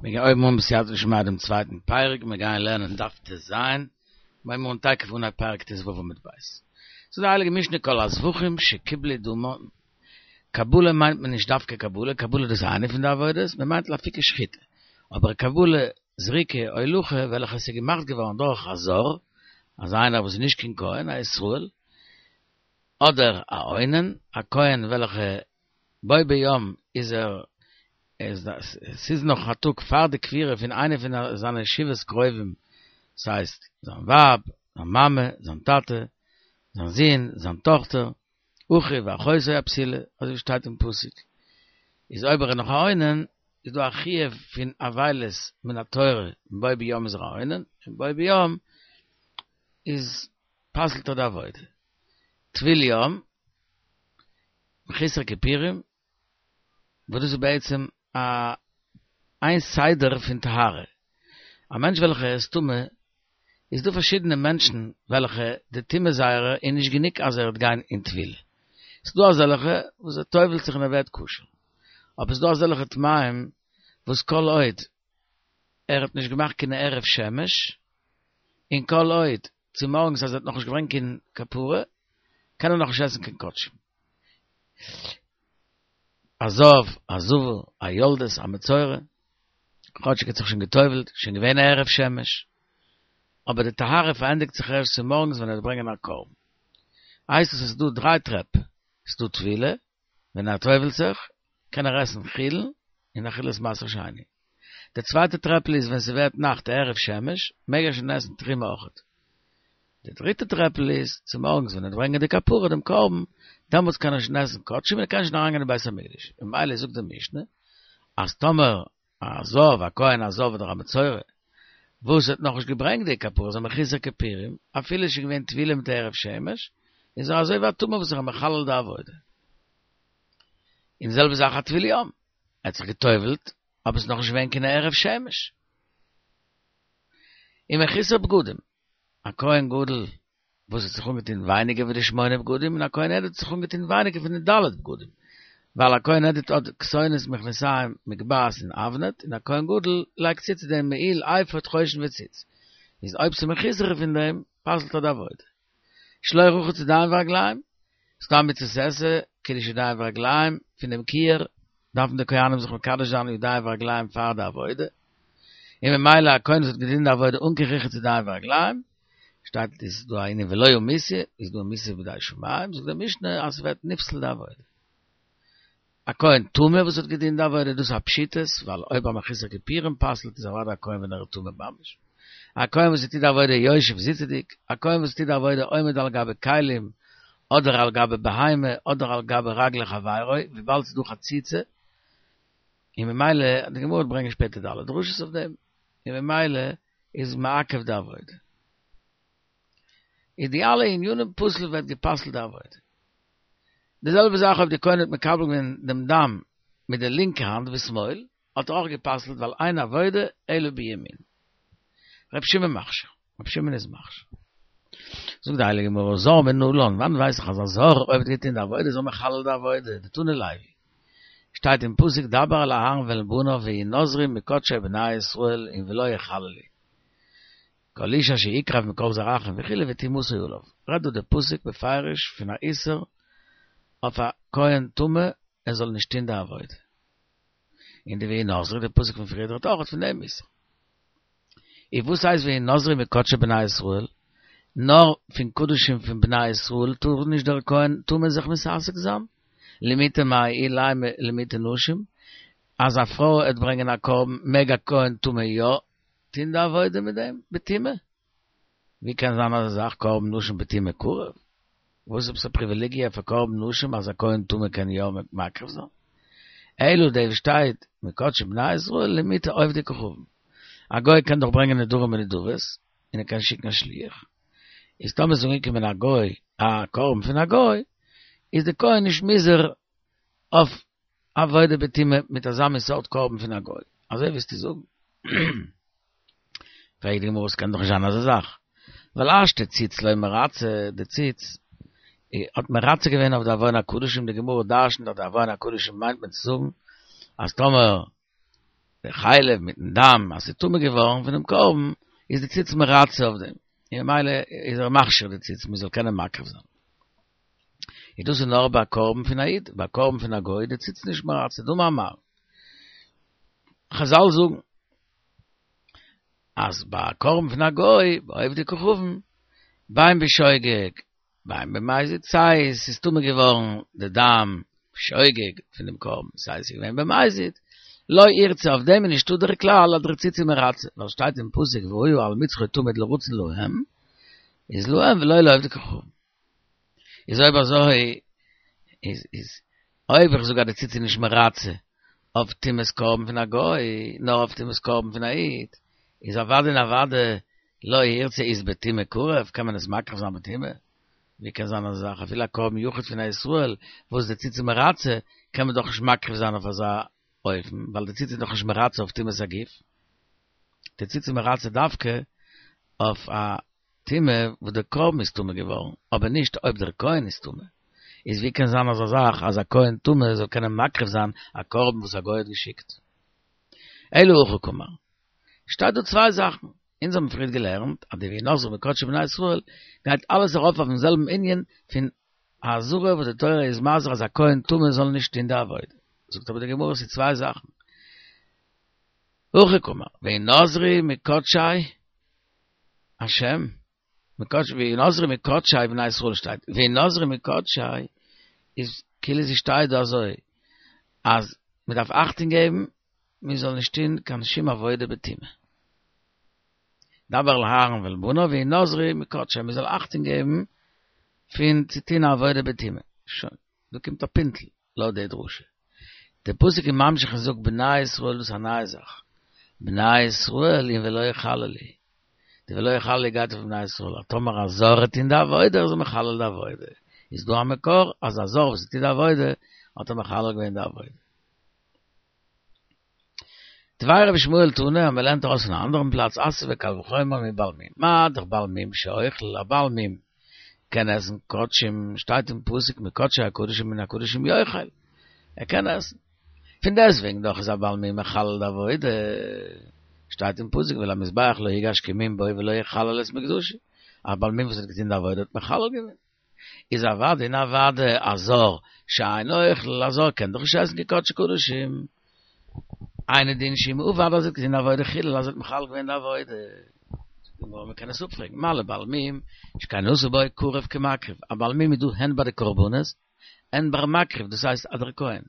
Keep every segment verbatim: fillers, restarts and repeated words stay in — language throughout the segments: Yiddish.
מיר הייבן אן בסייעתא דשמיא דעם צווייטן פרק, מיר גייען לערנען דף ט"ז, מיר הייבן אן תיכף אנהייב פרק ט"ו עמוד ב'. זאגט די הייליגע משנה כל הזבחים שקיבלו דמן, קבלה מיינט מען נישט דווקא קבלה, קבלה דאס איז איינע פון די עבודות, מען מיינט לאפוקי שחיטה, אבער קבלה, זריקה, הולכה, וועלכע עס איז געמאכט געווארן דורך א זר, אזא איינער וואס איז נישט קיין כהן, א ישראל, אדער א אונן, א כהן וועלכע בו ביום איז ער, ס'איז נאך א טאג פאר די קבירה פון איינע פון זיינע שבעת קרובים, ס'הייסט, זיין ווייב, זיין מאמע, זיין טאטע, זיין זון, זיין טאכטער, אחיו ואחותו הבתולה, אזוי ווי שטייט אין פסוק, איז אויב ער איז נאך א אונן, איז דא א חיוב פון אבילות מן התורה, בו ביום איז ער א אונן, און בו ביום איז פסל'ט ער די עבודה. טבול יום, מחוסר כיפורים, וואס דאס איז בעצם א איין סדר פון טהרה. א מענטש וועלכער איז טמא, איז דא פארשידענע מענטשן וועלכע די טומאה זייערע איז נישט גענוג אז ער וועט גיין אין טבילה. ס'איז דא אזעלכע וואס ער טובל'ט זיך און ער ווערט כשר. אבער ס'איז דא אזעלכע טמאים וואס כל עוד ער האט נישט געמאכט קיין הערב שמש, און כל עוד צומארגנס אז ער האט נאכנישט געברענגט קיין כפרה, קען ער נאכנישט עסן קיין קדשים. א זב, א זבה, א יולדת, א מצורע, כאטשיג ער האט זיך שוין גע'טובל'ט, שוין געווען א הערב שמש, אבער די טהרה פארענדיגט זיך ערשט צומארגנס ווען ער וועט ברענגען א קרבן. הייסט עס אז ס'איז דא דריי טרעפ, ס'איז דא טבילה, ווען ער טובל'ט זיך, קען ער עסן חולין און אכילת מעשר שני. די צווייטע טרעפל איז ווען ס'ווערט נאכט הערב שמש, מעג ער שוין עסן תרומה אויכעט. די דריטע טרעפל איז, צומארגנס ווען ער וועט ברענגען די כפרה דעם קרבן, דעמאלטס קען ער שוין עסן קדשים און ער קען שוין אריינגיין אין בית המקדש. ממילא זאגט די משנה, אז טאמער א זב, א כהן א זב אדער א מצורע, וואס האט נאכנישט געברענגט די כפרה, איז א מחוסר כיפורים, אפילו איז שוין געווען טבילה מיט הערב שמש, איז ער אזוי ווי א טמא וואס איז מחלל די עבודה. און די זעלבע זאך א טבול יום, ער האט זיך גע'טובל'ט, אבער עס איז נאכנישט געווען קיין הערב שמש. און מחוסר בגדים, א כהן גדול וואס האט זיך אנגעטון ווייניגער ווי די שמונה בגדים, און א כהן הדיוט האט זיך אנגעטון ווייניגער פון די ד' בגדים, ווייל א כהן הדיוט האט כתונת מכנסיים מגבעת און אבנט, און א כהן גדול לייגט צו צו דעם מעיל אפוד חושן וציץ, איז אויב ס'איז מחוסר פון דעם, פסל'ט ער די עבודה. שלא רחץ ידיים ורגליים, ס'דא א מצות עשה, קידוש ידיים ורגליים, פון דעם כיור דארפן די כהנים זיך מקדש זיין ידיים ורגליים פאר די עבודה, און ממילא א כהן וואס האט געטון די עבודה אן קיין רחיצת ידיים ורגליים, שטייט איז דא א ענין ולו מיתה, איז דא מיתה בידי שמים, זאגט די משנה אז ס'ווערט נפסל די עבודה. א כהן טמא וואס האט געטון די עבודה, דאס איז א פשיטות, ווייל אויב א מחוסר כיפורים פסל'ט איז אוודאי א כהן ווען ער איז טמא ממש. א כהן וואס טוט די עבודה יושב זיצעדיג, א כהן וואס טוט די עבודה עומד על גבי כלים, אדער על גבי בהמה, אדער על גבי רגלי חברו, וויבאלד ס'איז דא חציצה, און ממילא, די גמרא וועט ברענגען שפעטער די אלע דרשות אויף דעם, און ממילא איז מעכב די עבודה. איז די אלע ענינים פסול ווערט גע'פסל'ט די עבודה. די זעלבע זאך אויב די כהן האט מקבל געווען דעם דם מיט די לינקע האנט בשמאל, האט ער אויך גע'פסל'ט ווייל אין עבודה אלא בימין. ר' שמעון מכשיר, ר' שמעון איז מכשיר. זאגט די הייליגע גמרא, זר מנלן, וואנעט ווייס איך אז א זר אויב האט געטון די עבודה איז ער מחלל די עבודה, דתני לוי. שטייט אין פסוק דבר אל אהרן ואל בניו והנזרי מקדשי בני ישראל און ולא יחללו. כל איש אשר יקרב מכל זרעכם וכו' וטומאתו עליו. רעדט דא די פסוק בפירוש פון א איסור אויף א כהן טמא ער זאל נישט טון די עבודה. און די והנזרי די פסוק פון פריער רעדט אויך פון דעם איסור. איז וואס הייסט והנזרי מקדשי בני ישראל? נאר פון קדשים פון בני ישראל טאר נישט דער כהן טמא זיך מתעסק זיין? למעוטי מאי אילימא למעוטי נשים? אז א פרוי העט ברענגען א קרבן מעג א כהן טמא יא טוהן די עבודה מיט דעם בטומאה? ווי קען זיין אזא זאך קרבן נשים בטומאה קרב? וואס איז עפעס א פריוויליגיע פאר קרבן נשים אז א כהן טמא קען יא מקריב זיין? אלא דאס וואס שטייט מקדשי בני ישראל למעוטי עובדי כוכבים. א גוי קען דאך ברענגען נדרים און נדבות, און ער קען שיקן א שליח. איז טאמער איז אנגעקומען א גוי א קרבן פון א גוי, איז די כהן נישט מוזהר אויף עבודה בטומאה מיט אזא מין סארט קרבן פון א גוי. אזוי וועסטו זאגן? פרעגט די גמרא, ס'קען דאך נישט זיין אזא זאך, ווייל השתא ציץ לא מרצה, די ציץ האט מרצה געווען אויף די עוון הקדשים, די גמרא דרש'נט אז די עוון הקדשים מיינט מען צו זאגן אז טאמער דער חלב מיטן דם, אז ס'איז טמא געווארן פון דעם קרבן, איז די ציץ מרצה אויף דעם. און ממילא איז ער מכשיר די ציץ, מ'זאל קענען מקריב זיין. איז דאס איז נאר ביי א קרבן פון א איד, ביי א קרבן פון א גוי די ציץ נישט מרצה, דאמר מר. חזל זאגן אז ביי א קרבן פון א גוי, ביי עובדי כוכבים, בין בשוגג, בין במזיד, סיי עס איז טמא געווארן די דם בשוגג פון דעם קרבן, סיי עס איז געווען במזיד, לא אירצה, אויף דעם איז נישטא דער כלל אז דער ציץ איז מרצה, ווייל שטייט אין פסוק והיה על מצחו תמיד לרצון להם, איז להם ולא לעובדי כוכבים. איז אויב אזוי, איז איז אויב איך זאג אז די ציץ איז נישט מרצה אויף טומאת קרבן פון א גוי, נאר אויף טומאת קרבן פון א איד, איז אוודאי און אוודאי לא ירצה איז בטומאה קרב, קען מען עס מקריב זיין בטומאה? ווי קען זיין אזא זאך? אפילו א קרבן יחיד פון א ישראל וואס די ציץ איז מרצה, קען מען דאך נישט מקריב זיין אויף אזא אופן, ווייל די ציץ איז דאך נישט מרצה אויף טומאת הגוף. די ציץ איז מרצה דווקא אויף א טומאה וואס דער קרבן איז טמא געווארן, אבער נישט אויב דער כהן איז טמא. איז ווי קען זיין אזא זאך אז א כהן טמא זאל קענען מקריב זיין א קרבן וואס א גוי האט געשיקט? אלא הכי קאמר. שטייט דא צוויי זאכן. אונז האבן פריערט געלערנט אז די והנזרי מקדשי בני ישראל גייט אלעס ארויף אויפן זעלבן ענין פון אזהרה וואס די תורה איז מזהיר אז א כהן טמא זאל נישט טון די עבודה. זאגט אבער די גמרא ס'איז צוויי זאכן. הכי קאמר, והנזרי מקדשי השם, מקדשי, והנזרי מקדשי בני ישראל שטייט, והנזרי מקדשי איז כאילו ס'שטייט דא אזוי אז מ'דארף אכטונג געבן מ'זאל נישט טון קיין שום עבודה בטומאה. דבר אל אהרן ואל בניו והנזרי מקדשי, מ'זאל אכטונג געבן פון צו טון א עבודה בטומאה. שוין, דא קומט א פינטל לויט די דרשה. דער פסוק איז ממשיך און זאגט בני ישראל דאס איז א נייע זאך, בני ישראל און ולא יחללו, די ולא יחללו גייט אויף בני ישראל, אז טאמער א זר וועט טון די עבודה איז ער מחלל די עבודה, איז דא א מקור אז א זר וואס טוט די עבודה האט ער מחלל געווען די עבודה. דבי רבי ישמעאל תנא, אז מען לערנט ארויס פון א אנדערן פלאץ אתיא וקל וחומר מבעל מום, מה דאך בעל מום שאוכל, א בעל מום קען עסן קדשים, שטייט אין פסוק מקדשי הקדשים מן הקדשים יאכל, ער קען עסן, פון דעסטוועגן דאך איז א בעל מום מחלל די עבודה, שטייט אין פסוק ואל המזבח לא יגש כי מום בו ולא יחלל את מקדשי, א בעל מום וואס האט געטון די עבודה האט מחלל געווען. איז אוודאי און אוודאי א זר שאינו אוכל, א זר קען דאך נישט עסן קיין קדשי קדשים. אינו דין שאם עבד אז ער האט געטון די עבודה חילל אז ער האט מחלל געווען די עבודה. זאגט די גמרא מ'קען עס אפפרעגן, מה לבעל מום שכן עשה בו קרב כמקריב, א בעל מום איז דא הן ביי די קרבנות הן ביי מקריב דאס הייסט אז דער כהן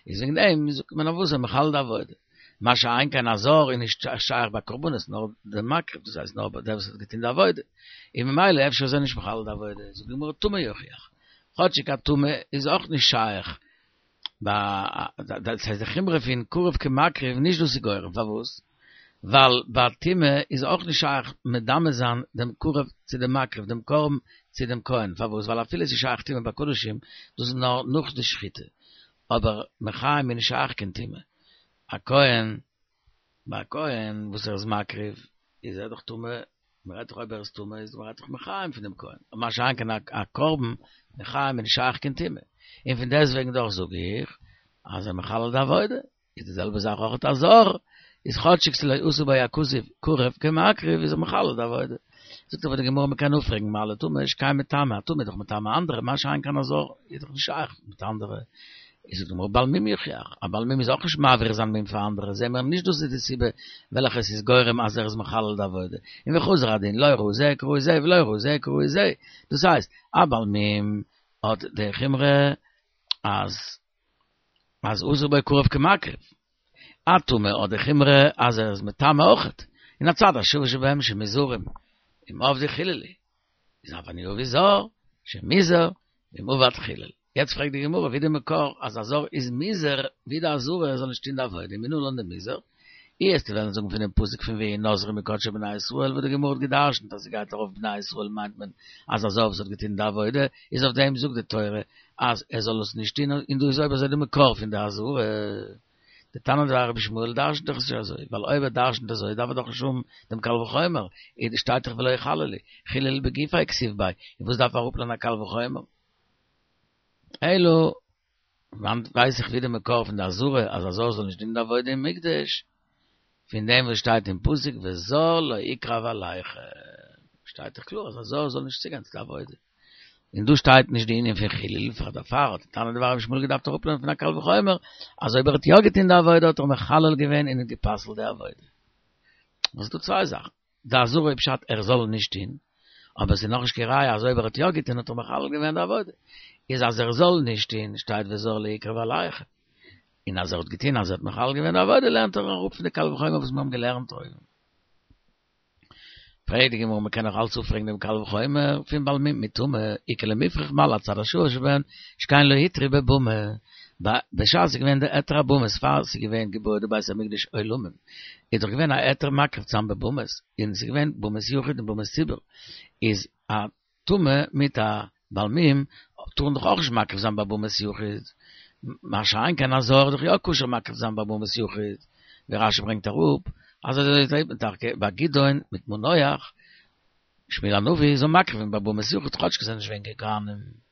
איז וועגן דעם זאגט מען אויף וואס ער מחלל די עבודה. מה שאין כן א זר איז נישט שייך ביי קרבנות נאר די מקריב דאס הייסט נאר ביי דער וואס האט געטון די עבודה און ממילא אפשר איז ער נישט מחלל די עבודה זאגט די גמרא טמא יוכיח כאטשיג א טמא איז אויך נישט שייך ביי דאס הייסט די חומרא פון קרב כמקריב נישט דאס איז גורם פארוואס ווייל ביי טומאה איז אויך נישט שייך מדמה זיין דעם קרב צו דעם מקריב דעם קרבן צו דעם כהן פארוואס ווייל אפילו עס איז שייך טומאה ביי קדשים דאס איז נאר נאך די שחיטה אבער מחיים איז נישט שייך קיין טומאה א כהן, ביי א כהן וואס ער איז מקריב איז ער דאך טמא, מען רעדט דאך אויב ער איז טמא איז מען רעדט דאך מחיים פון דעם כהן, מה שאין כן א קרבן מחיים איז נישט שייך קיין טומאה, און פון דעסטוועגן דאך זאג איך אז ער מחלל די עבודה, איז די זעלבע זאך אויך א זר, איז כאטשיג ס'לא עשה בו הכתוב קרב כמקריב איז ער מחלל די עבודה. זאגט אבער די גמרא מען קען אפפרעגן מה לטמא שכן מטמא, א טמא איז דאך מטמא אנדערע, מה שאין כן א זר איז דאך נישט שייך מיט אנדערע, איז זאגט די גמרא בעל מום יוכיח, א בעל מום איז אויך נישט מעביר זיין מום פאר אנדערע, זעהן מיר נישט דאס איז די סיבה וועלכע עס איז גורם אז ער איז מחלל די עבודה, און וחזר הדין לא ראי זה כראי זה ולא ראי זה כראי זה, דאס הייסט א בעל מום האט די חומרא אז אז עשה בו קרב כמקריב, א טמא האט די חומרא אז ער איז מטמא אויכעט, און הצד השווה שבהם שמוזהרים אם עבדו חיללו, איז אף אני אביא זר שמוזהר ואם עבד חילל. יעצט פרעגט די גמרא ווי די מקור אז א זר איז מוזהר ווי די אזהרה ער זאל נישט טון די עבודה מנא לן דמוזהר, אי וועסטו וועלן זאגן פונעם פסוק פון והנזרי מקדשי בני ישראל וואס די גמרא האט גע'דרש'נט אז ס'גייט ארויף בני ישראל מיינט מען אז א זר וואס האט געטון די עבודה איז אויף דעם זאגט די תורה אז ער זאל עס נישט טון און דא איז אויב אזוי די מקור פון די אזהרה. די תנא דבי רבי ישמעאל דרש'נט דאך נישט אזוי, ווייל אויב ער דרש'נט אזוי דארף ער דאך נישט האבן דעם קל וחומר, איז שטייט דאך ולא יחללו, חילל בגופיה כתיב ביה, און וואס דארף ער אראפלערנען א קל וחומר? אלא, וואנעט ווייס איך ווי די מקור פון די אזהרה אז א זר זאל נישט טון די עבודה אין מקדש? פון דעם וואס שטייט אין פסוק וזר לא יקרב אליכם. שטייט דאך קלאר אז א זר זאל נישט צוגיין צו די עבודה. און דא שטייט נישט די ענין פון חילול, פאר דערפאר האט דער תנא דבי רבי ישמעאל געדארפט אראפלערנען פון א קל וחומר, אז אויב ער האט יא געטון די עבודה האט ער מחלל געווען און גע'פסל'ט די עבודה. וואס איז דא צוויי זאכן. די אזהרה איז פשט ער זאל נישט טון, אבער עס איז נאכנישט קיין ראיה אז אויב ער האט יא געטון האט ער מחלל געווען די עבודה. איז אז ער זאל נישט טון שטייט וזר לא יקרב אליכם. און אז ער האט געטון אז ער האט מחלל געווען די עבודה לערנט ער אראפ פון די קל וחומר וואס מיר האבן געלערנט אויבן. פרעגט די גמרא מ'קען נאך אלץ אפפרעגן דעם קל וחומר פון בעל מום מיט טומאה, איכא למיפרך מה להצד השוה שבהן שכן לא הותרו בבמה, בשעת ס'איז געווען די היתר הבמות פאר ס'איז געווען געבויעט די בית המקדש עולמים איז דאך געווען א היתר מקריב צו זיין בבמות און ס'איז געווען במות יחיד און במות ציבור איז א טמא מיט א בעל מום טארן דאך אויך נישט מקריב זיין ביי במות יחיד, מה שאין כן א זר איז דאך יא כשר מקריב זיין ביי במות יחיד, ווי רשי ברענגט אראפ אז אזוי זעט מען טאקע ביי גדעון מיט מנוח, שמואל הנביא זאל מקריב זיין ביי במות יחיד כאטש זיי זענען נישט געווען קיין כהנים.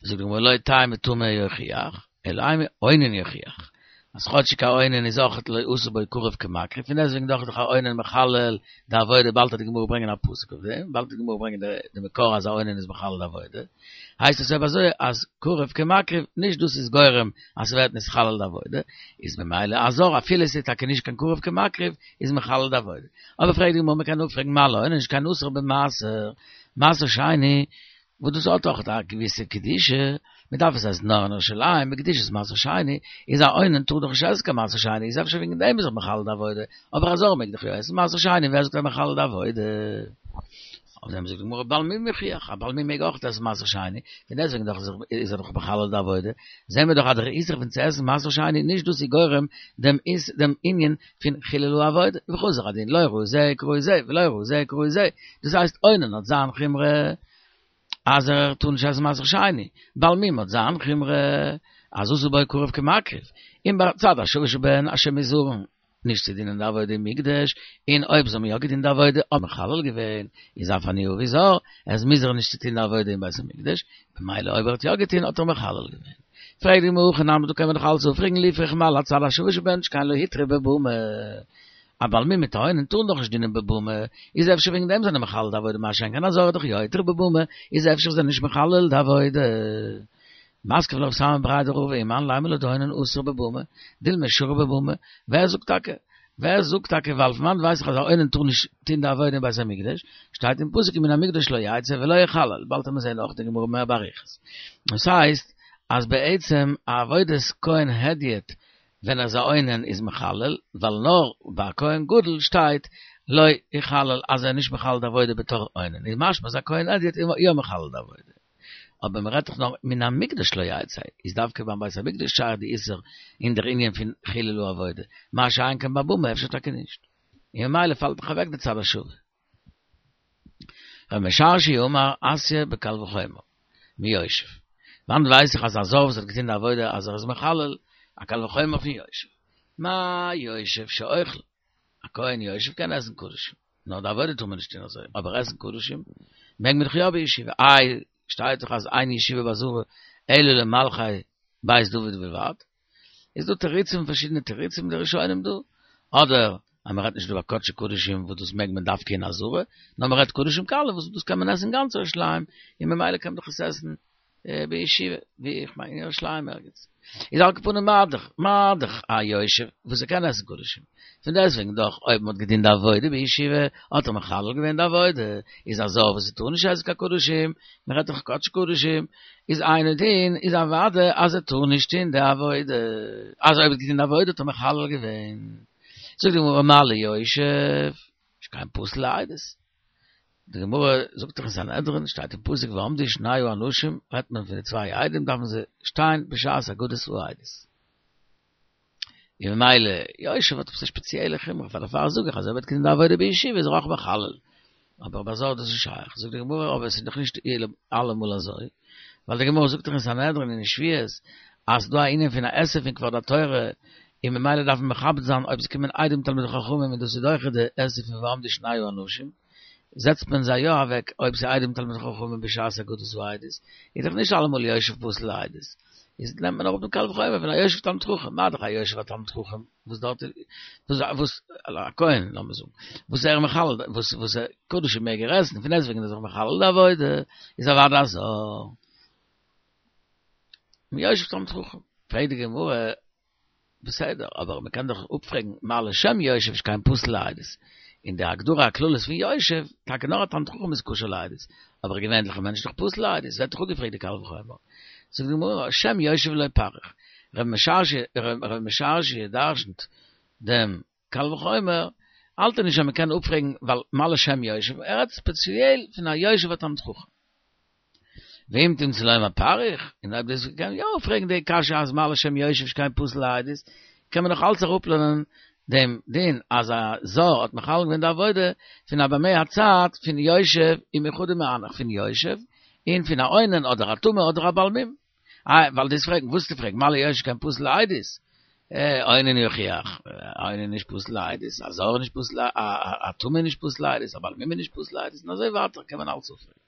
זאגט די גמרא לא תימא טמא יוכיח, אלא אימא אונן יוכיח, אז כאטשיג א אונן איז אויך לא עשה בו קרב כמקריב, פון דעסטוועגן דאך איז דאך א אונן מחלל די עבודה, באלד וועט די גמרא ברענגען א פסוק אויף דעם, באלד וועט די גמרא ברענגען די מקור אז א אונן איז מחלל די עבודה, הייסט עס אויב אזוי אז קרב כמקריב, נישט דאס איז גורם אז ס'ווערט נתחלל די עבודה, איז ממילא א זר אפילו עס איז טאקע נישט קיין קרב כמקריב, איז מחלל די עבודה. אבער פרעגט די גמרא מ'קען אפפרעגן מה לאונן שכן אסור במעשר, מעשר שני, וואס דאס האט דאך א געוויסע קדושה, מען דארף עס עסן נאר אין ירושלים, בקדושת מעשר שני, איז א אונן טאר דאך נישט עסן קיין מעשר שני, איז אפשר וועגן דעם איז ער מחלל די עבודה, אבער א זר מעג דאך יא עסן מעשר שני, ווער זאגט ער מחלל די עבודה? אויף דעם זאגט די גמרא בעל מום יוכיח, א בעל מום מעג אויך עסן מעשר שני, פון דעסטוועגן דאך איז ער דאך מחלל די עבודה, זעהן מיר דאך אז דער איסור פון צו עסן מעשר שני נישט דאס איז גורם דעם דעם ענין פון חילול העבודה, וחזר הדין לא ראי זה כראי זה ולא ראי זה כראי זה, דאס הייסט אונן האט זיין חומרא אז ער טאר נישט עסן מעשר שני, בעל מום האט זיין חומרא אז עשה בו קרב כמקריב, און בצד השווה שבהן אז שמוזהרין נישט צו דינען די עבודה אין מקדש, און אויב זיי האבן יא געדינט די עבודה האט מחלל געווען, איז אף אני אבי זר, ער איז מוזהר נישט צו טון די עבודה אין בית המקדש, במילא אויב ער האט יא געטון האט ער מחלל געווען. פרעגט די גמרא הכי נמי דא קען מען דאך אלץ אפפרעגן ליפרך מה להצד השווה שבהן שכן לא הותרו בבמה. א בעל מום מיט א אונן טארן דאך נישט דינען בבמה, איז אפשר וועגן דעם זענען מחלל די עבודה מה שאין כן א זר איז דאך יא הותרו בבמה, איז אפשר זענען נישט מחלל די עבודה. מתקיף לה רב סמא בריה דרבא ומאן לימא לן דאונן אסור בבמה, דילמא שרי בבמה, ווער זאגט טאקע? ווער זאגט טאקע ווייל פון וואנעט ווייס איך אז א אונן טאר נישט טוהן די עבודה אין בית המקדש? שטייט אין פסוק ומן המקדש לא יצא ולא יחלל, באלד וועט מען זעהן אויך די גמרא מער באריכות. דאס הייסט אז בעצם א עבודת כהן הדיוט ווען ער איז א אונן איז מחלל, ווייל נאר ביי א כהן גדול שטייט לא יחלל אז ער איז נישט מחלל די עבודה בתור אונן, איז משמע אז א כהן הדיוט איז יא מחלל די עבודה. אבער מען רעדט דאך נאר מן המקדש לא יצא, איז דווקא ביים בית המקדש שייך די איסור אין דער ענין פון חילול העבודה, מה שאין כן בבמה אפשר טאקע נישט. און ממילא פאלט דאך אוועק די צד השווה. רב משרשיא אמר אתיא בקל וחומר מיושב. וואנעט ווייס איך אז א זר וואס האט געטון די עבודה אז ער איז מחלל, א קל וחומר פון יושב. מה יושב שאוכל, א כהן יושב קען עסן קדשים, נאר די עבודה טאר מען נישט טון אזוי, אבער עסן קדשים מעג מען דאך יא בישיבה, איי שטייט דאך אז אין ישיבה בעזרה אלא למלכי בית דוד בלבד, איז דא תירוצים פארשידענע תירוצים די ראשונים דא, אדער אז מען רעדט נישט דא ביי קדשי קדשים וואס דאס מעג מען דווקא אין עזרה, נאר מען רעדט קדשים קלים וואס דאס קען מען עסן אין גאנץ ירושלים, און ממילא קען מען דאך עס עסן בישיבה, ווי איך מיין אין ירושלים ערגעץ. איז על כל פנים מה דאך, מה דאך א יושב וואס ער קען עסן קדשים. פון דעסטוועגן דאך אויב מען האט געדינט די עבודה בישיבה האט ער מחלל געווען די עבודה, איז א זר וואס ער טאר נישט עסן קיין קדשים, מען רעדט דאך קדשי קדשים, איז אינו דין איז אוודאי אז ער טאר נישט טון די עבודה, אז אויב ער האט געטון די עבודה האט ער מחלל געווען. זאגט די גמרא מה ליושב שכן פסול לעדות. די גמרא זאגט דאך אין סנהדרין, שטייט אין פסוק ועמדו שני האנשים, רעדט מען פון די צוויי עדים דארפן זיי שטיין בשעת אגודת העדות. און ממילא יושב האט עפעס א שפעציעלע חומרא, פאר דערפאר זאג איך אז אויב ער האט געטון די עבודה בישיבה איז ער אויך מחלל. אבער ביי זר איז דאס נישט שייך. זאגט די גמרא אבער עס איז דאך נישט אלעמאל אזוי, ווייל די גמרא זאגט דאך אין סנהדרין אין שבועות אז ס'דא א ענין פון א עשה פון כבוד התורה, און ממילא דארף מען מכבד זיין אויב ס'קומען עדים תלמידי חכמים און דאס איז דוחה די עשה פון ועמדו שני האנשים, זעצט מען זיי יא אוועק אויב ס'איז עדים תלמידי חכמים בשעת אגודת העדות, איז דאך נישט אלעמאל יושב פסול לעדות. איז נעמט מען אראפ דעם קל וחומר פון א יושב תלמיד חכם, מה דאך א יושב א תלמיד חכם, וואס דארט וואס וואס א כהן, לאמיר זאגן, וואס ער מחלל, וואס וואס קדשים מעג ער עסן, פון דעסטוועגן איז ער מחלל די עבודה, איז אוודאי א זר. מיושב תלמיד חכם. פרעגט די גמרא, בסדר, אבער מען קען דאך אפפרעגן, מה לשם יושב שכן פסול לעדות. אין דער הגדרה הכללית פון יושב, טאקע נאר א תלמיד חכם איז כשר לעדות, אבער א געווענליכער מענטש איז דאך פסול לעדות, ווערט דאך אפגעפרעגט די קל וחומר. זאגט די גמרא, שם יושב לא פריך. רב משרשיא, רב משרשיא דרשנ'ט דעם קל וחומר, האלט ער נישט אז מען קען אפפרעגן ווייל מה לשם יושב, ער רעדט ספעציעל פון א יושב א תלמיד חכם. ואם תמצא לומר פריך, און אויב דאס קען יא אפפרעגן די קשיא אז מה לשם יושב שכן פסול לעדות, קען מען נאך אלץ אראפלערנען דעם דין אז א זר האט מחלל געווען די עבודה פון א במה הצד פון יושב ומחודא מהנך פון יושב און פון א אונן אדער א טמא אדער א בעל מום. איי, ווייל דאס פרעגן, וואס צו פרעגן, מה ליושב שכן פסול לעדות? אונן יוכיח, אונן נישט פסול לעדות, א זר נישט פסול, א טמא נישט פסול לעדות, א בעל מום נישט פסול לעדות, און אזוי ווייטער קען מען אלץ אפפרעגן.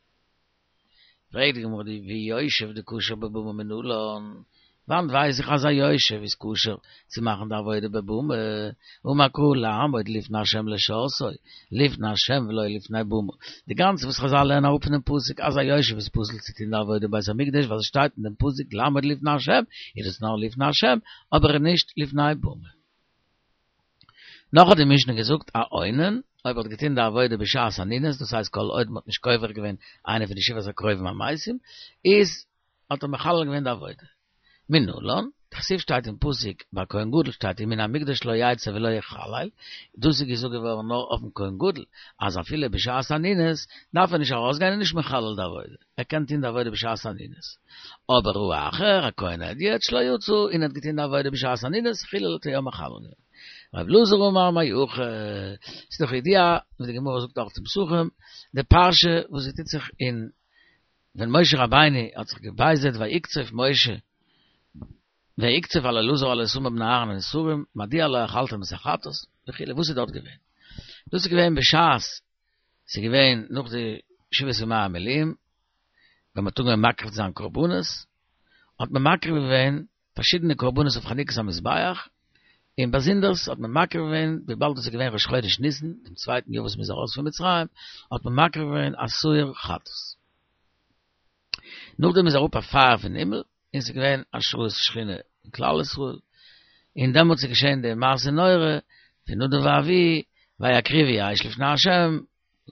פרעגט די גמרא ויושב דכשר בבמה מנלן, וואנעט ווייס איך אז א יושב איז כשר צו מאכן די עבודה בבמה, אמר קרא לעמוד לפני השם לשרתו, לפני השם ולא לפני במה. די גאנצע וואס חזל לערנען אראפ פונעם פסוק אז א יושב איז פסול צו טון די עבודה בית המקדש ווייל עס שטייט אין דעם פסוק לעמוד לפני השם, איז עס נאר לפני השם, אבער נישט לפני במה. נאך האט די משנה געזאגט א אונן, אויב ער האט געטון די עבודה בשעת אנינות, דאס הייסט כל עוד מ'האט נישט קובר געווען איינע פון די שבעת הקרובים המתים, איז האט ער מחלל געווען די עבודה. מנלן, דכתיב שטייט אין פסוק ביי כהן גדול שטייט ומן המקדש לא יצא ולא יחלל, דאס איז געזאגט געווארן נאר אויפן כהן גדול, אז אפילו בשעת אנינות דארף ער נישט ארויסגיין און נישט מחלל די עבודה, ער קען טון די עבודה בשעת אנינות. אבער האחר, א כהן הדיוט שלא יצא און האט געטון די עבודה בשעת אנינות, חילל האט ער יא מחלל געווען. רב אלעזר אמר מהכא, ס'איז דאך ידוע ווי די גמרא זאגט אויך אין פסחים, די פרשה וואס זי טוט זיך אין ווען משה רבינו האט זיך געבייזערט ויקצוף משה ויקצוף על אלעזר ועל איתמר בני אהרן הנותרים מדוע לא אכלתם את החטאת וכו' וואס איז דארט געווען? דאס איז געווען בשעת ס'איז געווען נאך די שבעת ימי המילואים ווען מ'האט אנגעהויבן מקריב צו זיין קרבנות האט מען מקריב געווען פארשידענע קרבנות אויף חנוכת המזבח, און באזונדערס האט מען מקריב געווען, וויבאלד עס איז געווען ראש חודש ניסן, דעם צווייטן יאר וואס מען איז ארויס פון מצרים, האט מען מקריב געווען א שעיר חטאת. נאכדעם איז אראפ א פייער פון הימל, און עס איז געווען השראת שכינה אין כלל ישראל, און דעמאלטס איז געשען די מעשה נורא פון נדב ואביהוא, ויקריבו אש לפני ה',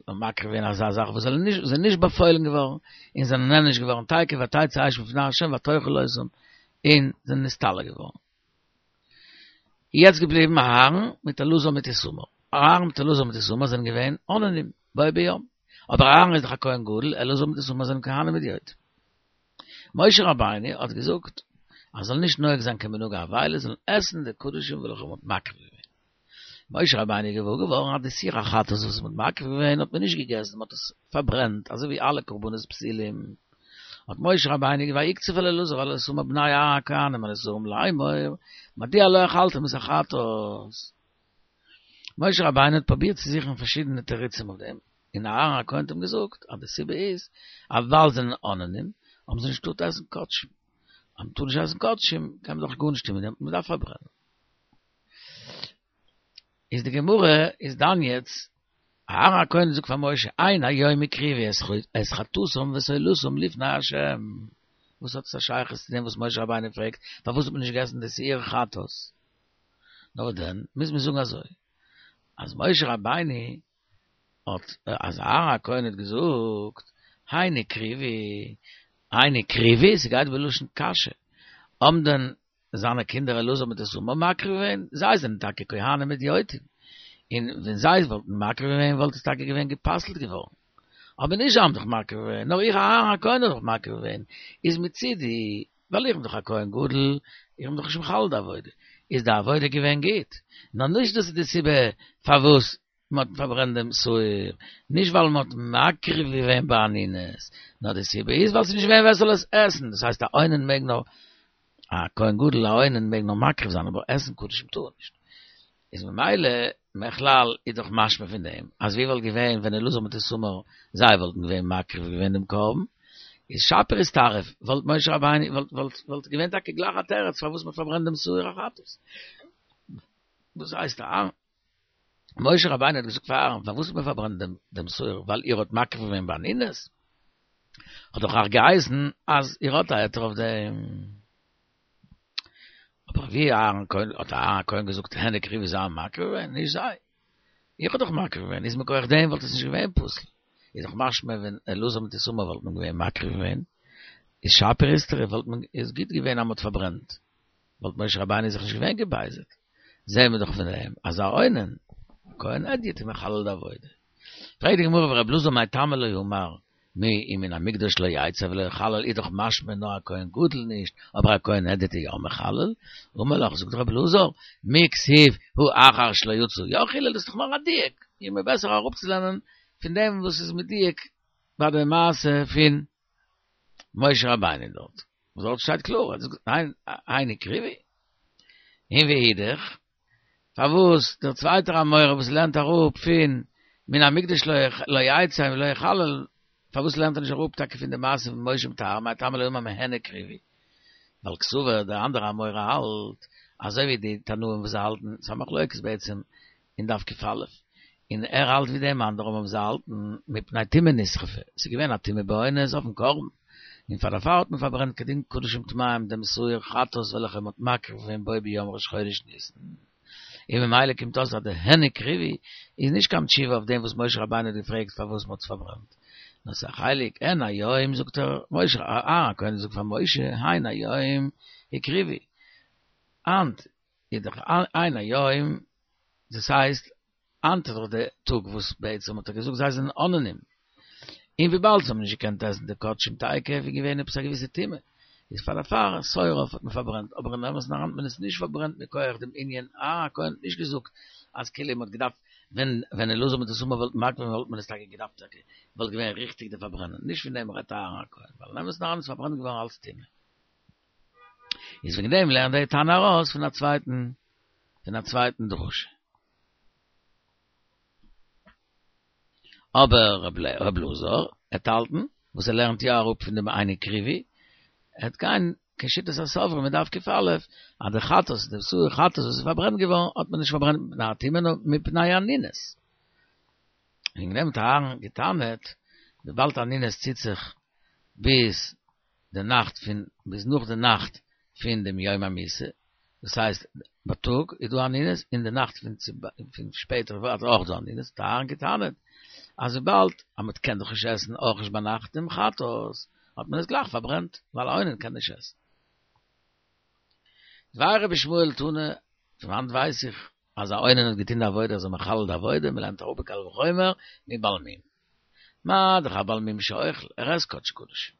און מקריב געווען אזא זאך וואס זענען נישט זענען נישט באפוילן געווארן, און זענען נענש געווארן תיכף ותצא אש מלפני ה' ותאכל אותם, און זענען נסתלק געווארן. יעצט געבליבן אהרן מיט אלעזר מיט איתמר. אהרן מיט אלעזר מיט איתמר זענען געווען אוננים בו ביום. אבער אהרן איז דאך א כהן גדול, אלעזר מיט איתמר זענען כהנים הדיוטים. משה רבינו האט געזאגט אז זאל נישט נוהג זיין כמנהג האבילות, זאלן עסן די קדשים וועלכע מען האט מקריב געווען. משה רבינו איז געוואר געווארן אז די שעיר החטאת וואס מען האט מקריב געווען האט מען נישט געגעסן, מען האט עס פארברענט, אזוי ווי אלע קרבנות פסולים. האט משה רבינו ויקצוף על אלעזר ועל איתמר בני אהרן הכהנים הנותרים לאמור, מדוע לא אכלתם את החטאת? משה רבינו האט פרובירט צו זוכן פארשידענע תירוצים אויף דעם, און אהרן הכהן האט אים געזאגט אז די סיבה איז אז ווייל זיי זענען אוננים האבן זיי נישט געטארט עסן קדשים, אז מען טאר נישט עסן קדשים קען מען דאך גארנישט טון מיט דעם, מען דארף פארברענען. איז די גמרא איז דן יעצט, אהרן הכהן זאגט פאר משה, הן היום הקריבו את חטאתם ואת עולתם לפני ה', וואס האט עס א שייכות צו דעם וואס משה רבינו פרעגט פארוואס האט מען נישט געגעסן די שעיר חטאת? נאר דען מוז מען זאגן אזוי, אז משה רבינו האט, אז אהרן הכהן האט געזאגט, הן הקריבו, הן הקריבו, ס'גייט בלשון קשיא, האבן דען זיינע קינדער אלעזר מיט איתמר מקריב געווען, זיי זענען טאקע כהנים הדיוטים, און ווען זיי וואלטן מקריב געווען וואלט עס טאקע געווען גע'פסל'ט געווארן, אבער נישט זיי האבן דאך מקריב געווען, נאר איך אהרן הכהן האב דאך מקריב געווען, איז מצידי, ווייל איך בין דאך א כהן גדול, איך בין דאך נישט מחלל די עבודה, איז די עבודה געווען גוט, נאר נישט דאס איז די סיבה פארוואס מען האט פארברענט דעם שעיר, נישט ווייל מען האט מקריב געווען באנינות, נאר די סיבה איז ווייל ס'איז נישט געווען ווער ס'זאל עס עסן, דאס הייסט א אונן מעג נאר, א כהן גדול א אונן מעג נאר מקריב זיין אבער עסן קדשים טאר ער נישט, איז ממילא מכלל איז דאך משמע פון דעם אז ווי וואלט געווען ווען אלעזר מיט איתמר זיי וואלטן געווען מקריב געווען דעם קרבן, איז שפיר איסטרף, וואלט משה רבינו, וואלט, וואלט, וואלט געווען טאקע גלייך א תירוץ, פארוואס מ'האט פארברענט דעם שעיר החטאת. דאס הייסט, אהרן, משה רבינו האט געזאגט פאר אהרן, פארוואס האט מען פארברענט דעם, דעם שעיר? ווייל איר האט מקריב געווען באנינות? האט דאך אויך געהייסן, אז איר האט א היתר אויף דעם. אבער ווי אהרן כהן, האט אהרן כהן געזאגט, הן הקריבו, זיי האבן מקריב געווען? נישט זיי. איך האב דאך מקריב געווען, איז מכח דעם וואלט עס נישט געווען פסול. איז דאך משמע ווען אלעזר מיט איתמר וואלט מען געווען מקריב געווען, איז שפיר איסטרף וואלט מען, איז גוט געווען אז מ'האט פארברענט. וואלט משה רבינו זיך נישט געווען געבייזערט. זעהן מיר דאך פון דעם אז א אונן, כהן הדיוט איז מחלל די עבודה. פרעגט די גמרא ורבי אלעזר מאי טעמא לא אמר מי אם מן המקדש לא יצא ולא יחלל איז דאך משמע נאר א כהן גדול נישט, אבער א כהן הדיוט איז יא מחלל. אמר לך, זאגט רבי אלעזר, מי כתיב הא אחר שלא יצא יא חילל, דאס איז דאך נאר א דיוק, איז מיר בעסער אראפצולערנען פון דעם וואס איז מדויק ביי די מעשה פון משה רבינו דארט, וואס דארט שטייט קלאר, ער זאגט הן הן הקריבו, און ואידך, פארוואס דער צווייטער אמורא וואס לערנט אראפ פון מן המקדש לא יצא ולא יחלל, פארוואס לערנט ער נישט אראפ טאקע פון די מעשה פון משה מיט אהרן, מאי טעמא לא אמר מהן הקריבו? ווייל קסבר דער אנדערע אמורא האלט אזוי ווי די תנאים וואס זיי האלטן, ס'איז א מחלוקת בעצם אין דף ק"א, און ער האלט ווי דעם אנדערן וואס זיי האלטן מפני טומאה נשרפה, ס'איז געווען א טומאה באונס אויפן קרבן, און פאר דערפאר האט מען פארברענט כדין קדשים טמאים דעם שעיר חטאת וועלכע מ'האט מקריב געווען בו ביום ראש חודש ניסן, און ממילא קומט אויס אז די הן הקריבו איז נישט קיין תשובה אויף דעם וואס משה רבינו האט געפרעגט פארוואס מ'האט עס פארברענט, נאר ס'איז א חלק, הן היום זאגט ער, משה, אהרן הכהן זאגט פאר משה, הן היום הקריבו, היינט איז דאך הן היום, דאס הייסט, היינט איז דאך די טאג וואס בעצם האט ער געזאגט זיי זענען אוננים, און וויבאלד זיי האבן נישט געקענט עסן די קדשים תיכף איז געווען עפעס א געוויסע טומאה, איז פאר דערפאר שעיר האט מען פארברענט, אבער אין אמת'ן אריין האט מען עס נישט פארברענט מכח דעם ענין, אהרן הכהן האט נישט געזאגט אז כאילו מען האט געדארפט ווען ווען אלעזר מיט איתמר וואלטן מקריב געווען וואלט מען עס טאקע געדארפט טאקע וואלט געווען ריכטיג די פארברענען, נישט פון דעם רעדט אהרן הכהן, ווייל אין אמת'ן אריין איז פארברענט געווארן אלס טומאה. איז וועגן דעם לערנט דער תנא ארויס פון א צווייטן פון א צווייטן דרשה. אבער ר' אלעזר וועט האלטן, וואס ער לערנט יא אראפ פון דעם הן הקריבו, ער וועט גיין כשיטת הסופרים אין דף ק"א, אז די חטאת, די שעיר חטאת וואס איז פארברענט געווארן, האט מען נישט פארברענט מפני הטומאה נאר מפני אנינות. וועגן דעם האט אהרן געטענה'ט, וויבאלד אנינות ציט זיך ביז די נאכט פון ביז נאך די נאכט פון דעם יום המיתה, דאס הייסט בייטאג איז דא אנינות און די נאכט פון פון שפעטער ווערט אויך דא אנינות, האט אהרן געטענה'ט אז וויבאלד אז מען קען דאך נישט עסן אויך נישט ביינאכט דעם חטאת, האט מען עס גלייך פארברענט, ווייל א אונן קען נישט עסן. דבר רבי ישמעאל תנא, פון וואנט ווייס איך אז א אונן האט געטון די עבודה איז ער מחלל די עבודה, מען לערנט אראפ בקל וחומר מבעל מום. מה דאך א בעל מום שאוכל, ער עסט קדשי קדשים.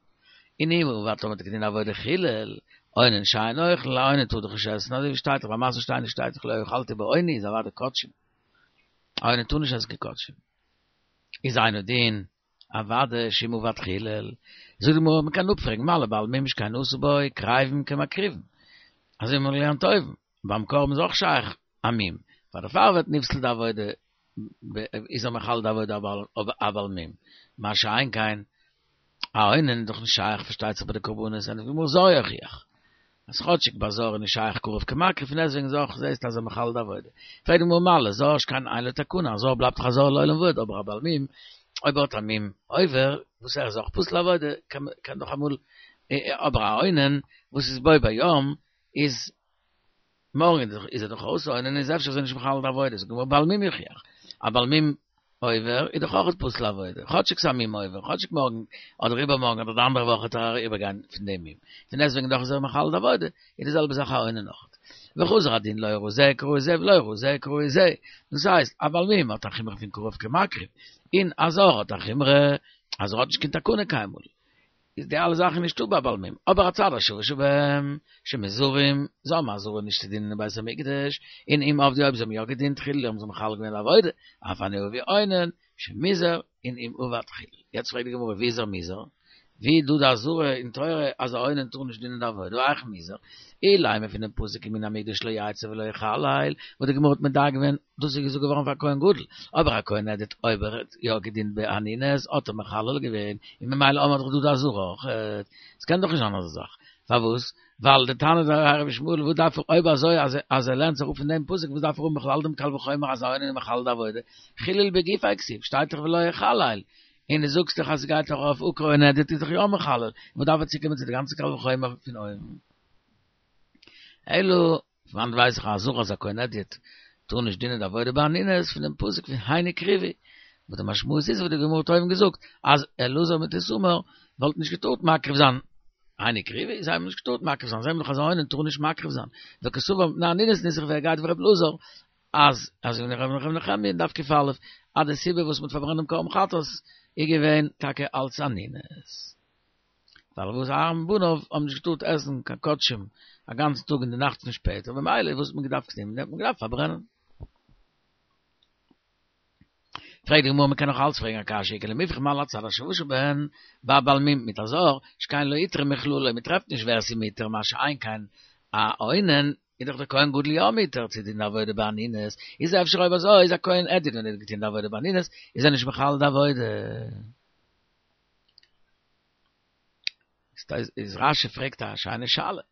און אם עבד טאמער האט ער געטון די עבודה חילל, אונן שאינו אוכל, א אונן טאר דאך נישט עסן, אזוי ווי שטייט דאך ביי מעשר שני שטייט דאך לא אכלתי באוני איז אוודאי קדשים. א אונן טאר נישט עסן קיין קדשים. איז אינו דין, אוודאי שאם עבד חילל. זאגט די גמרא מען קען אפפרעגן מה לבעל מום שכן עשה בו קריבין כמקריבין. אזוי ווי מען האט געלערנט אויבן, ביים קרבן איז אויך שייך א מום, פאר דערפאר ווערט נפסל די עבודה איז ער מחלל די עבודה א בעל מום, מה שאין כן א אונן איז דאך נישט שייך פארשטייט זיך ביי די קרבנות, ענטפערט די גמרא זר יוכיח אז כאטשיג ביי זר איז נישט שייך קרוב כמקריב פון דעסטוועגן איז אויך זעסט אז ער מחלל די עבודה, פרעגט די גמרא מה לזר שכן אין לו תקנה, א זר בלייבט דאך א זר לעולם ועד, אבער א בעל מום אויב ער האט א מום עובר וואס ער איז אויך פוסל עבודה קען דאך אמאל אבער א אונן וואס איז בו ביום איז מארגן איז ער דאך אויס אונן איז אפשר איז ער נישט מחלל די עבודה, זאגט די גמרא בעל מום יוכיח, א בעל מום עובר איז דאך אויך פוסל עבודה, כאטשיג ס'איז א מום עובר, כאטשיג מארגן אדער איבערמארגן אדער די אנדערע וואך וועט ער אריבערגיין פון דעם מום, פון דעסטוועגן דאך איז ער מחלל די עבודה, איז די זעלבע זאך א אונן אויך. וחזר הדין לא הוראה זה כראוי זה ולא הוראה זה כראוי זה, דאס הייסט א בעל מום האט א חומרא פון קרוב כמקריב, און א זר האט א חומרא אז ער האט נישט קיין תקנה קיינמאל. איז די אלע זאכן נישטא ביי בעל מום, אבער הצד השווה שבהם, שמוזהרים, זיי האבן אזהרה נישט צו דינען אין בית המקדש, און אם עבדו אויב זיי האבן יא געדינט חיללו האבן זיי מחלל געווען די עבודה, אף אני אבי אונן, שמוזהר, און אם עבד חילל. יעצט פרעגט די גמרא ווי איז ער מוזהר? ווי דא די אזהרה אין תורה אז א אונן טאר נישט דינען די עבודה, והיאך מוזהר, אילימא פון דעם פסוק כי מן המקדש לא יצא ולא יחלל, וואס די גמרא האט מדייק געווען, דאס איז געזאגט געווארן פאר א כהן גדול, אבער א כהן הדיוט אויב ער האט יא געדינט באנינות האט ער מחלל געווען, און ממילא האבן מיר דאך דא די אזהרה אויך, עס קען דאך נישט זיין אזא זאך, פארוואס? ווייל די טענה דער רבי ישמעאל וואס דארף ער אויב אזוי אז אז ער לערנט זיך אפ פון דעם פסוק וואס דארף ער האבן בכלל דעם קל וחומר אז א אונן איז מחלל די עבודה, חילול בגופיה כתיב, שטייט דאך ולא יחלל, און דו זאגסט דאך אז ס'גייט דאך אויף עקר און הדיוט איז דאך יא מחלל, וואס דארף ער צוקומען צו די גאנצע קל וחומר פון אויבן? אלא, פון וואנעט ווייס איך א אזהרה אז א כהן הדיוט טאר נישט דינען די עבודה באנינות פון דעם פסוק פון הן הקריבו, וואס די משמעות איז וואס די גמרא האט אויבן געזאגט אז אלעזר מיט איתמר וואלטן נישט געטארט מקריב זיין הן הקריבו, זיי האבן נישט געטארט מקריב זיין, זיי האבן דאך אז א אונן טאר נישט מקריב זיין, וקסבר מפני אנינות ניסוך ווי ער גייט ווי ר' אלעזר אז אזוי ווי ר' נחמיה אין דף קא אז די סיבה וואס מ'האט פארברענט דעם קרבן חטאת איז געווען טאקע אלץ אנינות. ווייל וואס אהרן ובניו האבן נישט געטארט עסן קיין קדשים א גאנצן טאג און די נאכט פון שפעטער במילא וואס האט מען געדארפט טון? האט מען געדארפט פארברענען. פרעגט די גמרא מ'קען נאך אלץ פרעגן א קשיא איכא למיפרך מה להצד השווה שבהן ביי בעל מום מיט א זר שכן לא הותרה מכללו מ'טרעפט נישט ווער ס'איז מותר מה שאין כן א אונן איז דאך דער כהן גדול יא מותר צו טון די עבודה באנינות, איז אפשר אויב אזוי איז א כהן הדיוט ווען ער האט געטון די עבודה באנינות איז ער נישט מחלל די עבודה. איז רשי פרעגט א שיינע שאלה.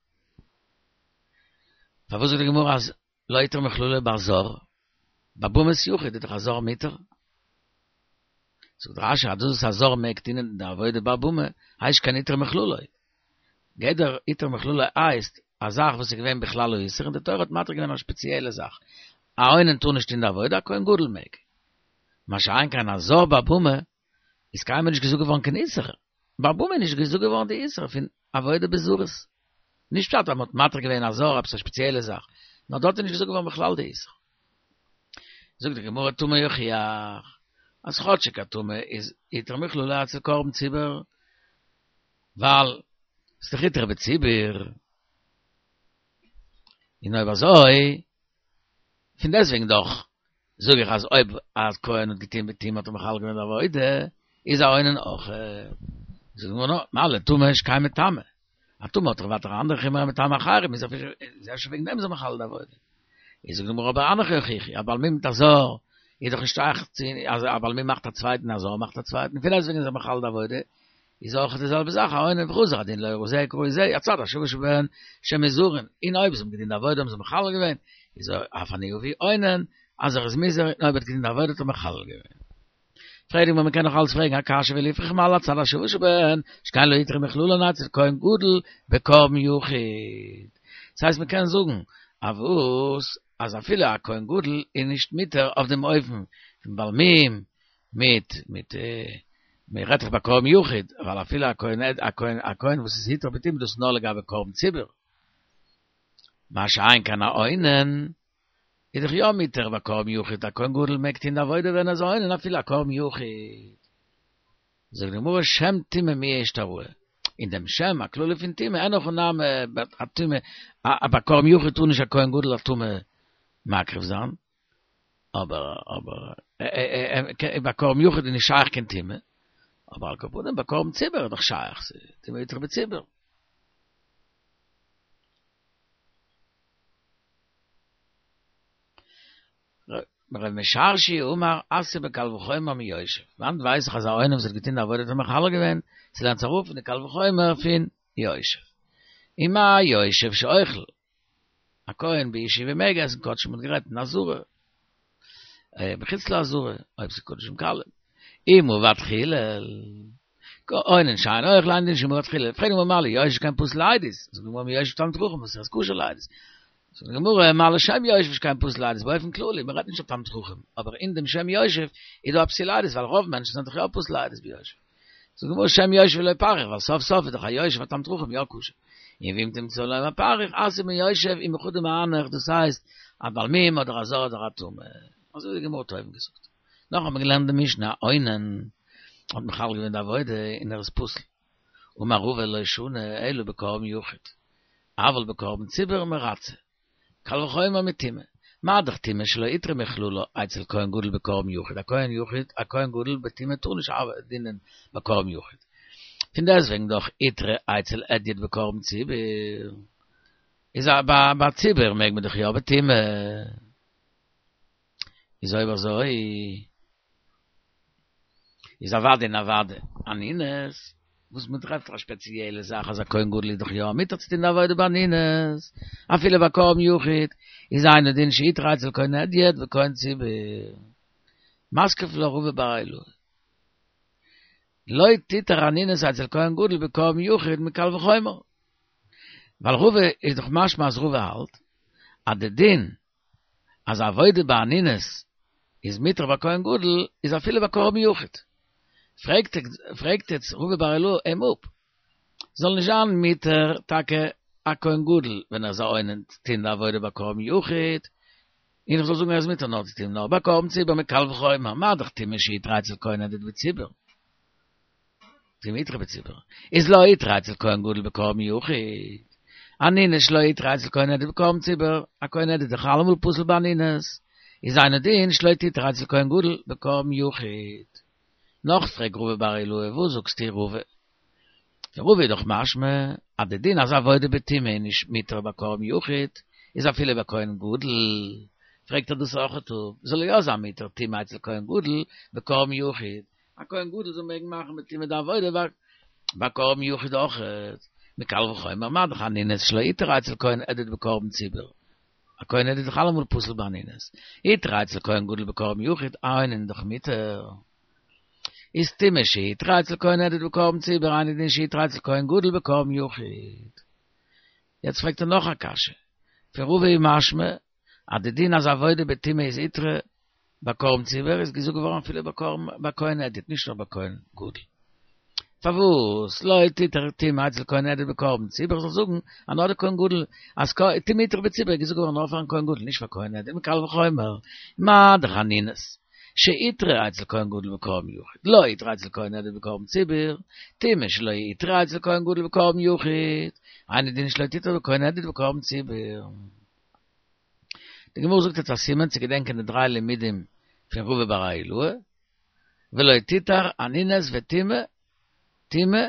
פארוואס זאגט די גמרא אז לא הותרה מכללו ביי זר? ביי במת יחיד איז דאך א זר מותר. זאגט רשי אז דאס וואס א זר מעג טון די עבודה ביי במה הייסט שכן הותרה מכללו. גדר הותרה מכללו הייסט א זאך וואס איז געווען בכלל האיסור און די תורה האט מתיר געווען א שפעציעלע זאך. א אונן טאר נישט טון די עבודה, א כהן גדול מעג. מה שאין כן א זר ביי במה איז קיינמאל נישט געזאגט געווארן קיין איסור. ביי במה איז נישט געזאגט געווארן די איסור פון עבודה בזרות. נישט פשט אז מען האט מתיר געווען א זר עפעס א שפעציעלע זאך, נאר דארט איז נישט געזאגט געווארן בכלל די איסור. זאגט די גמרא טומאה יוכיח, אז כאטשיג א טומאה איז הותרה מכללו אצל קרבן ציבור, ווייל ס'איז דאך הותרה בציבור, און אויב אזוי, פון דעסטוועגן דאך זאג איך אז אויב א כהן האט געטון בטומאה האט ער מחלל געווען די עבודה, איז א אונן אויך. זאגט די גמרא, מה לטמא שכן מטמא, א טמא האט דאך ווייטער א אנדערע חומרא מטמא אחרים, איז אפשר וועגן דעם איז ער מחלל די עבודה. איז זאגט די גמרא אבער הנך יוכיחו, א בעל מום מיט א זר איז דאך נישט שייך צו אז א בעל מום מאכט א צווייטן א זר מאכט א צווייטן, פון דעסטוועגן איז ער מחלל די עבודה, איז אויך די זעלבע זאך א אונן וחזר הדין לא ראי זה כראי זה, הצד השווה שבהן שמוזהרין, און אויב זיי האבן געטון די עבודה האבן זיי מחלל געווען, איז אף אני אביא אונן אז ער איז מוזהר און אויב ער האט געטון די עבודה האט ער מחלל געווען. פרעגט די גמרא מ'קען נאך אלץ פרעגן א קשיא וליפרך מה להצד השווה שבהן שכן לא הותרה מכללן אצל כהן גדול בקרבן יחיד. ס'הייסט מ'קען זאגן אז וואס אז אפילו א כהן גדול איז נישט מותר אויף דעם אופן פון בעל מום מיט מיט מ'רעדט דאך ביי קרבן יחיד ווייל אפילו א כהן א כהן א כהן וואס איז הותרה בטומאה דאס איז נאר לגבי קרבן ציבור מה שאין כן א אונן איז דאך יא מותר ביי קרבן יחיד, א כהן גדול מעג טוהן די עבודה ווען ער איז א אונן אפילו א קרבן יחיד. זאגט די גמרא שם טומאה מיהא אשתראי, אין דעם שם הכללי פון טומאה אין הכי נמי א טומאה א ביי קרבן יחיד טאר נישט א כהן גדול א טמא מקריב זיין, אבער אבער ביי קרבן יחיד איז נישט שייך קיין טומאה, אבער על כל פנים ביי קרבן ציבור איז דאך שייך, ס'איז טומאה הותרה בציבור. רב משרשיא אמר אתיא בקל וחומר מיושב, וואנעט ווייס איך אז א אונן וואס האט געטון די עבודה האט ער מחלל געווען, ס'לערנט זיך אראפ פון די קל וחומר פון יושב. ומה יושב שאוכל, א כהן בישיבה מעג עסן קדשים מ'האט גערעדט אין עזרה, בחוץ לעזרה, אויב ס'איז קדשים קלים. אם עבד חילל, אונן שאינו אוכל אינו דין שאם עבד חילל, פרעגט די גמרא מה ליושב שכן פסול לעדות, זאגט די גמרא מיושב תלמיד חכם וואס איז כשר לעדות, זאגט די גמרא מה לשם יושב שכן פסול לעדות באופן כללי, מען רעדט נישט אויף תלמיד חכם, אבער אין דעם שם יושב איז דא א פסול לעדות ווייל רוב מענטשן זענען דאך יא פסול לעדות ביושב. זאגט די גמרא שם יושב לא פריך ווייל סוף סוף איז דאך א יושב א תלמיד חכם יא כשר. און ואם תמצא לומר פריך אתיא מיושב ומחדא מהנך דאס הייסט א בעל מום אדער א זר אדער א טמא. אזוי ווי די גמרא האט אויבן געזאגט. נאך האט מען געלערנט די משנה אונן האט מחלל געווען די עבודה און ער איז פסול. אמר רבא לא שנו אלא בקרבן יחיד, אבל בקרבן ציבור מרצה. קל וחומר מטומאה. מה דאך טומאה שלא הותרה מכללה אצל כהן גדול בקרבן יחיד, א כהן יחיד, א כהן גדול בטומאה טאר נישט דינען בקרבן יחיד. פון דעסטוועגן דאך הותרה אצל הדיוט בקרבן ציבור. איז ביי ביי ציבור מעג מען דאך יא בטומאה. איז אויב אזוי איז אוודאי און אוודאי אנינות, וואס מען טרעפט א שפעציעלע זאך אז א כהן גדול איז דאך יא מותר צו טון די עבודה באנינות, אפילו ביי קרבן יחיד, איז אינו דין שהותרה אצל כהן הדיוט בכהן ציבור. מתקיף לה רבא בר אילעאי. לא תותר אנינות אצל כהן גדול בקרבן יחיד מקל וחומר. ווייל רבא איז דאך משמע אז רבא האלט אז די דין אז עבודה באנינות איז מותר ביי כהן גדול איז אפילו ביי קרבן יחיד. פרעגט פרעגט יעצט רבא בר אילעאי אים אפ, זאל נישט זיין מותר טאקע א כהן גדול ווען ער איז א אונן צו טון די עבודה ביי קרבן יחיד, און איך זאל זאגן ער איז מותר נאר צו טון נאר ביי קרבן ציבור מקל וחומר, מה דאך טומאה שהותרה אצל כהן הדיוט בציבור. טומאה הותרה בציבור. איז לא הותרה אצל כהן גדול בקרבן יחיד. אנינות שלא הותרה אצל כהן הדיוט בקרבן ציבור, א כהן הדיוט איז דאך אלעמאל פסול באנינות. איז אינו דין שלא תותר אצל כהן גדול בקרבן יחיד. נאך פרעגט רבא בר אילעאי, וואס זאגסטו רבא? פון רבא איז דאך משמע אז די דין אז עבודה בטומאה איז נישט מותר ביי קרבן יחיד, איז אפילו ביי כהן גדול. פרעגט ער דאס אויכעט אפ, זאל יא זיין מותר טומאה אצל כהן גדול בקרבן יחיד, א כהן גדול זאל מעגן מאכן בטומאה די עבודה ביי קרבן יחיד אויכעט, מקל וחומר מה דאך אנינות שלא הותרה אצל כהן הדיוט בקרבן ציבור, א כהן הדיוט איז דאך אלעמאל פסול באנינות, הותרה אצל כהן גדול בקרבן יחיד, א אונן איז דאך מותר. איז טומאה שהותרה אצל כהן הדיוט בקרבן ציבור אינו דין שהותרה אצל כהן גדול בקרבן יחיד. יעצט פרעגט ער נאך א קשיא, פון רבא איז משמע אז די דין אז עבודה בטומאה איז הותרה ביי קרבן ציבור איז געזאגט געווארן אפילו ביי קרבן ביי כהן הדיוט נישט נאר ביי כהן גדול. פארוואס לא תותר טומאה אצל כהן הדיוט בקרבן ציבור זאל זאגן אז נאר די כהן גדול אז טומאה הותרה בציבור איז געזאגט געווארן נאר פארן כהן גדול נישט פאר כהן הדיוט מקל וחומר מה דאך אנינות שהותרה אצל כהן גדול בקרבן יחיד לא הותרה אצל כהן הדיוט בקרבן ציבור טומאה שלא הותרה אצל כהן גדול בקרבן יחיד אינו דין שלא תותר בכהן הדיוט בקרבן ציבור. די גמרא זאגט יעצט א סימן צו געדענקען די דריי לימודים פון רבא בר אילעאי, ולא תותר אנינות וטומאה, טומאה,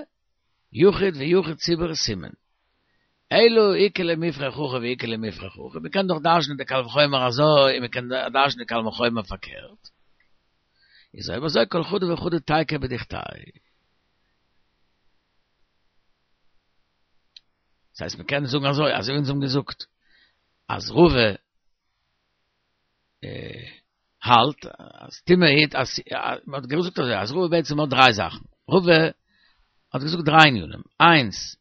יחיד ויחיד ציבור סימן. אלא איכא למיפרך הכי ואיכא למיפרך הכי, מען קען דאך דרש'נען די קל וחומר אזוי און מען קען דרש'נען די קל וחומר פארקערט. איז אויב אזוי כל חדא וחדא תיקו בדוכתיה. דאס הייסט מען קען זאגן אזוי, אזוי ווי אונז האבן געזאגט אז רבא האלט אז טומאה היט אז מען האט געזאגט אזוי אז רבא בעצם האט דריי זאכן, רבא האט געזאגט דריי ענינים, איינס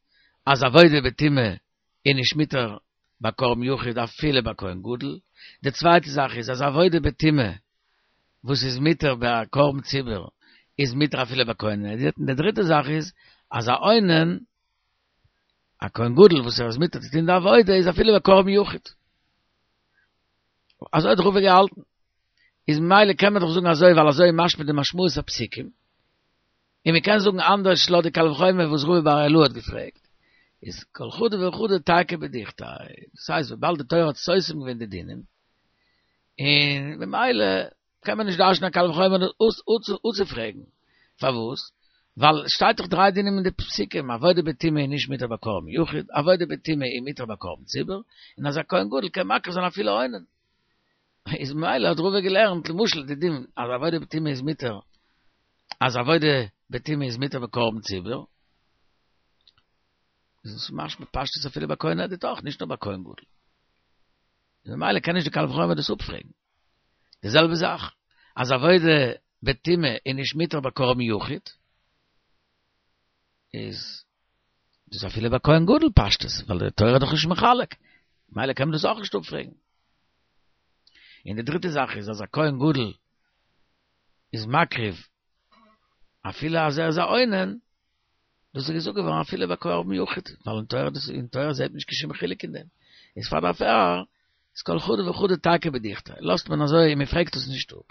אז עבודה בטומאה איז נישט מותר ביי קרבן יחיד אפילו ביי כהן גדול, די צווייטע זאך איז אז עבודה בטומאה וואס איז מותר ביי קרבן ציבור איז מותר אפילו ביי כהן הדיוט, און די דריטע זאך איז אז א אונן א כהן גדול וואס ער איז מותר צו טון די עבודה איז אפילו ביי קרבן יחיד. אזוי האט רבא געהאלטן. איז ממילא קען מען דאך זאגן אזוי ווייל אזוי איז משמע די משמעות הפסוקים. און מען קען זאגן אנדערש לויט די קל וחומר וואס רבא בר אילעאי האט געפרעגט. איז כל חדא וחדא תיקו בדוכתיה. דאס הייסט וויבאלד די תורה האט סותם געווען די דינים, און ממילא קען מען נישט דרש'נען א קל וחומר אפצופרעגן. פארוואס? ווייל עס שטייט דאך דריי דינים אין די פסוקים, עבודה בטומאה איז נישט מותר ביי קרבן יחיד, עבודה בטומאה איז מותר ביי קרבן ציבור, און אז א כהן גדול קען מקריב זיין אפילו אונן. איז ממילא האט רבא געלערנט למשל די דין אז עבודה בטומאה איז מותר, אז עבודה בטומאה איז מותר ביי קרבן ציבור, איז עס משמע פשטות אפילו ביי כהן הדיוט אויך, נישט נאר ביי כהן גדול. ממילא קען נישט די קל וחומר דאס אפפרעגן. די זעלבע זאך אז עבודה בטומאה איז נישט מותר ביי קרבן יחיד, איז דאס אפילו ביי כהן גדול פשטות, ווייל די תורה איז דאך נישט מחלק, ממילא קען מען דאס אויך נישט אפפרעגן. און די דריטע זאך איז אז א כהן גדול איז מקריב אפילו אז ער איז א אונן, דאס איז געזאגט געווארן אפילו ביי קרבן יחיד, ווייל אין תורה דאס אין תורה זעט מען נישט קיין שום חילוק אין דעם. איז פאר דערפאר איז כל חדא וחדא תיקו בדוכתיה, לאזט מען אזוי און מען פרעגט עס נישט אפ.